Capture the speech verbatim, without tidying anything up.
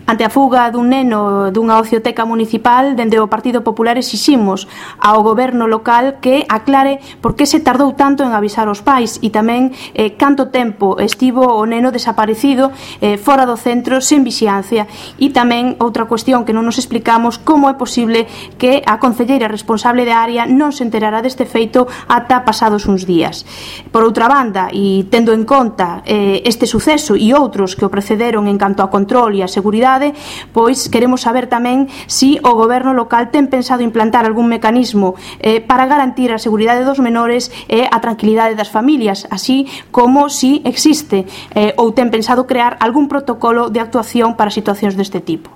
Ante a fuga dun neno dunha ocioteca municipal, dende o Partido Popular exiximos ao goberno local que aclare por que se tardou tanto en avisar os pais e tamén eh, canto tempo estivo o neno desaparecido eh, fora do centro sen vixiancia. E tamén outra cuestión que non nos explicamos, como é posible que a concelleira responsable da área non se enterara deste feito ata pasados uns días. Por outra banda, e tendo en conta eh, este suceso e outros que o precederon en canto a control e a seguridade, pois queremos saber tamén se o goberno local ten pensado implantar algún mecanismo eh, para garantir a seguridade dos menores e a tranquilidade das familias, así como se existe eh, ou ten pensado crear algún protocolo de actuación para situacións deste tipo.